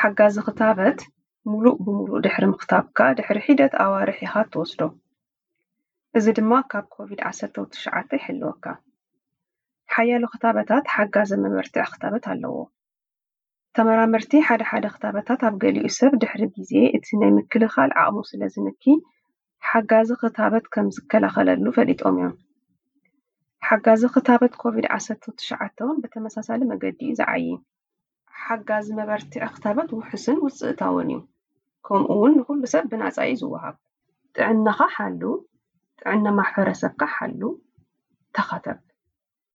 ሓጋዚ ክታበት ሙሉእ ብሙሉእ ድሕሪ ምኽታብካ ድሕሪ ሒደት ኣዋርሕ ኢኻ ትወስዶ። እዚ ድማ ካብ ኮቪድ ዓሰርተ ትሽዓተ ይሕልወካ። ሓያሎ ክታበታት ሓጋዚ መበርትዒ ክታበት ኣለዎ። ተመራመርቲ ሓደ ሓደ ክታበታት ኣብ ገሊኡ ሰብ ድሕሪ ግዜ እቲ ናይ ምክልኻል ዓቕሙ ስለ ዝንኪ ሓጋዚ ክታበት ከም ዝከላኸለሉ ፈሊጦም እዮም። ሓጋዚ ክታበት ኮቪድ ዓሰርተ ትሽዓተ እውን ብተመሳሳሊ መገዲ እዩ ዝዓዪ። ሓጋዚ መበርትዒ ክታበት ውሑስን ውፅእታውን እዩ። ከምኡ እውን ንኹሉ ሰብ ብናፃ እዩ ዝወሃብ። ጥዕናኻ ሓሉ፣ ጥዕና ማሕበረሰብካ ሓሉ፣ ተኸተብ።